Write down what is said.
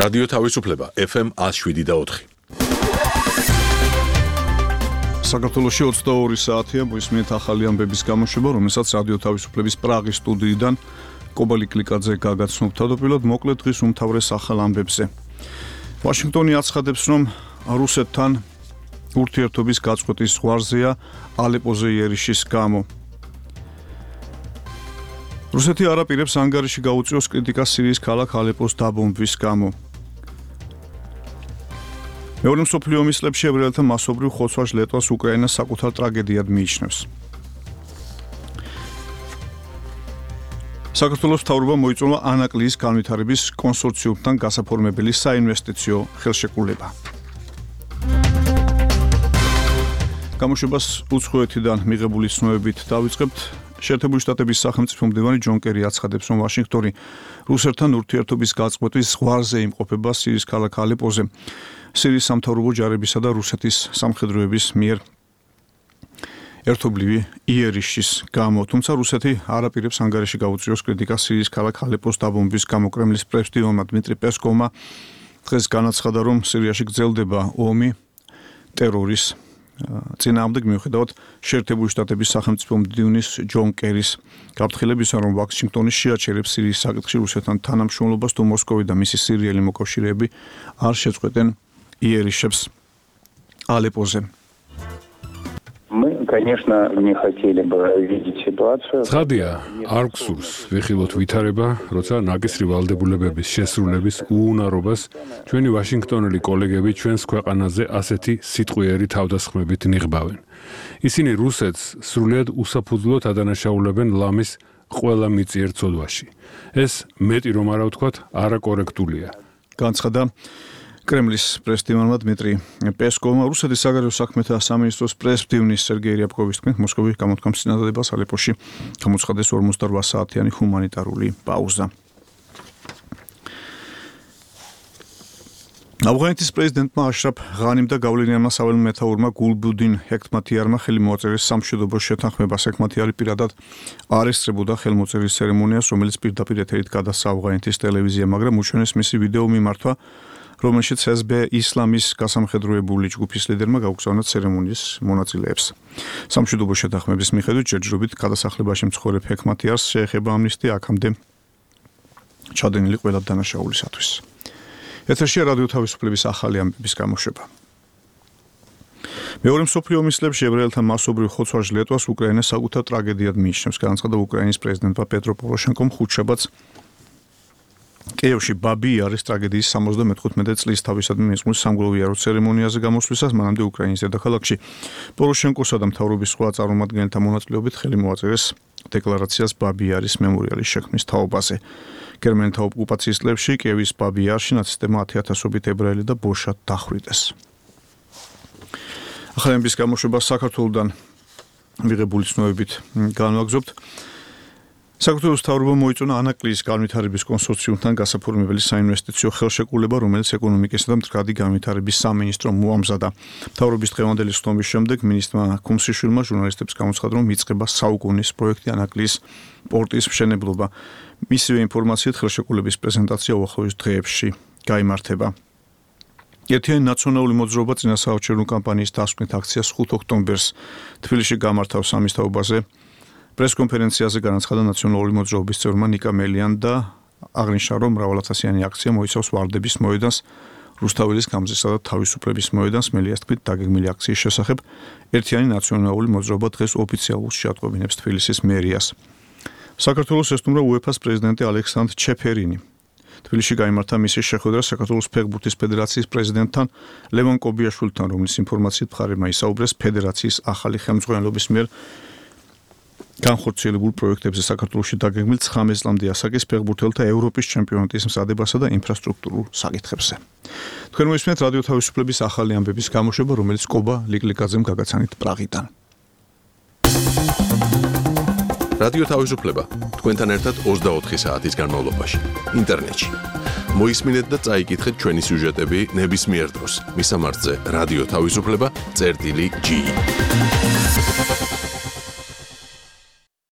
რადიო თავისუფლება FM 107.4. საქართველოში 22 საათია მოისმინეთ ახალი ამბების გამოშვება, რომელსაც რადიო თავისუფლების პრაღის სტუდიიდან კობალი კლიკაძე გაგაცნობთ. თავდაპირველად მოკლედ დღის უმთავრეს ახალ ამბებზე. ვაშინგტონი აცხადებს, რომ რუსეთთან ურთიერთობის გაწყვეტის ზღვარზეა ალეპოზე იერიშის გამო. რუსეთი არ აპირებს ანგარიში გაუწიოს კრიტიკას სირიის ქალაქ ალეპოს დაბომბვის გამო. მეორე მსოფლიო ომის წლებში ებრაელთა მასობრივ ხოცვა ლეტვას უკრაინას საკუთარ ტრაგედიად მიიჩნევს. საქართველოს მთავრობა მოიწვია ანაკლიის განვითარების კონსორციუმთან გასაფორმებელი საინვესტიციო ხელშეკრულება. გამოშვებას უცხოეთიდან მიღებული ცნობებით დავიწყებთ. შეერთებული შტატების სახელმწიფო მდივანი ჯონ კერი აცხადებს, რომ ვაშინგტონი რუსეთთან ურთიერთობის გაწყვეტის ზღვარზე იმყოფება სირიის ქალაქ ალეპოზე. სირიის სამთავრობო ჯარებისა და რუსეთის სამხედროების მიერ ერთობლივი იერიშის გამო, თუმცა რუსეთი არ აპირებს ანგარიში გაუწიოს კრიტიკას სირიის ქალაქ ალეპოს დაბომბვის გამო. კრემლის პრესდივანმა დმიტრი პესკოვმა დღეს განაცხადა, რომ სირიაში გრძელდება ომი ტერორის წინააღმდეგ, მიუხედავად შეერთებული შტატების სახელმწიფო მდივნის ჯონ კერის გაფრთხილებისა, რომ ვაშინგტონი შეაჩერებს სირიის საკითხში რუსეთთან თანამშრომლობას, თუ მოსკოვი და მისი სირიელი მოკავშირეები არ შეწყვეტენ იერიშებს ალეპოზე. Мы, конечно, не хотели бы видеть ситуацию. ცხადია, არ გსურს ვიხილოთ ვითარება, როცა ნაკისრი ვალდებულებების შესრულების უუნარობას ჩვენი ვაშინგტონელი კოლეგები ჩვენს ქვეყანაზე ასეთი სიტყვიერი თავდასხმებით ნიღბავენ. ისინი რუსეთს სრულიად უსაფუძვლოდ ადანაშაულებენ ლამის ყველა მიწიერ ცოდვაში. ეს მეტი რომ არა ვთქვათ, არაკორექტულია. განცხადა კრემლის პრესდივანმა დმიტრი პესკოვმა. რუსეთის საგარეო საქმეთა სამინისტროს პრესდივნის სერგეი რიაბკოვის თქმით, მოსკოვი გამოთქვამს წინადადებას ალეპოში გამოცხადეს 48 საათიანი ჰუმანიტარული პაუზა. ავღანეთის პრეზიდენტმა აშრაფ ღანიმ და გავლენიანმა საველე მეთაურმა გულბუდინ ჰექტმათიარმა ხელი მოაწერეს სამშვიდობო შეთანხმებას. ჰექტმათიარი პირადად არესტირებოდა ხელმოწერის ცერემონიას, რომელიც პირდაპირ ეთერით გადასცა ავღანეთის ტელევიზია, მაგრამ უჩვენეს მისი ვიდეო მიმართვა, რომელშიც SB ისლამის გასამხედროებული ჯგუფის ლიდერმა გაუგზავნა ცერემონიის მონაწილეებს. სამშვიდობო შეთანხმების მიხედვით ჯერჯერობით გადასახლებაში მცხოვრებ ჰექტმათიარს შეეხება ამნისტია აქამდე ჩადენილი ყველა დანაშაულისათვის. ეთერშია რადიო თავისუფლების ახალი ამბების გამოშვება. მეორე მსოფლიო ომის წლებში ებრაელთა მასობრივ ხოცვა ლეტვას უკრაინას საკუთარ ტრაგედიად მიიჩნევს. განაცხადა უკრაინის პრეზიდენტმა პეტრო პოროშენკომ ხუთშაბათს კიევში ბაბი-იარის ტრაგედიის 75 წლის თავისადმი მისმის სამგლოვიარო ცერემონიაზე გამოსვლისას მანამდე უკრაინის დედაქალაქში პოროშენკოსა და მთავრობის სხვა წარმომადგენელთა მონაწილეობით ხელი მოაწერეს დეკლარაციას ბაბი-იარის მემორიალის შექმნის თაობაზე. გერმანთა ოკუპაციის წლებში კიევის ბაბი-იარში ნაცისტებმა 10,000-ობით ებრაელი და ბოშა დახვრიტეს. ახალი ამბების გამოშვება საქართველოსთან მიღებული ცნობებით განვაგრძობთ. საქართველოს მთავრობა მოიწონა ანაკლიის განვითარების კონსორციუმთან გასაფორმებელი საინვესტიციო ხელშეკრულება, რომელიც ეკონომიკისა და მდგრადი განვითარების სამინისტრომ მოამზადა. მთავრობის დღევანდელი ხტომის შემდეგ მინისტრმა ქუმსიშვილმა ჟურნალისტებს გამოცხადა, რომ იწყება საუკუნის პროექტი ანაკლიის პორტის მშენებლობა. მისივე ინფორმაციით ხელშეკრულების პრეზენტაცია უახლოეს დღეებში გაიმართება. ერთიანი ნაციონალური მოძრაობა წინასაარჩევნო კამპანიის დასკვნის აქციას 5 ოქტომბერს თბილისში გამართავს ამის თაობაზე. პრესკონფერენციაზე განაცხადა ნაციონალური მოძრაობის წევრმა ნიკა მელიან და აღნიშნა, რომ მრავალათასიანი აქცია მოიცავს ვარდების მოედანს, რუსთაველის გამზისა და თავისუფლების მოედანს. მელიას თქმით, დაგეგმილი აქციის შესახებ ერთიანი ნაციონალური მოძრაობა დღეს ოფიციალურად შეატყობინებს თბილისის მერიას. საქართველოს ესტუმრა უეფა-ს პრეზიდენტი ალექსანდრ ჩეფერინი. თბილისში გაიმართა მისი შეხვედრა საქართველოს ფეხბურთის ფედერაციის პრეზიდენტთან ლევან კობიაშვილთან, რომლის ინფორმაციით მხარემა ისაუბრეს ფედერაციის ახალი ხელმძღვანელობის მიერ განხორციელებულ პროექტებზე საქართველოში დაგეგმილ 19 წლამდე ასაკის ფეხბურთელთა ევროპის ჩემპიონატის მზადებასა და ინფრასტრუქტურულ საკითხებზე. თქვენ მოისმენთ რადიო თავისუფლების ახალი ამბების გამოშვება, რომელიც კობა ლიკლიკაძემ გაგაცანით პრაღიდან. რადიო თავისუფლება თქვენთან ერთად 24 საათის განმავლობაში ინტერნეტში. მოისმინეთ და წაიკითხეთ ჩვენი სიუჟეტები ნებისმიერ დროს. მისამართზე რადიო თავისუფლება.ge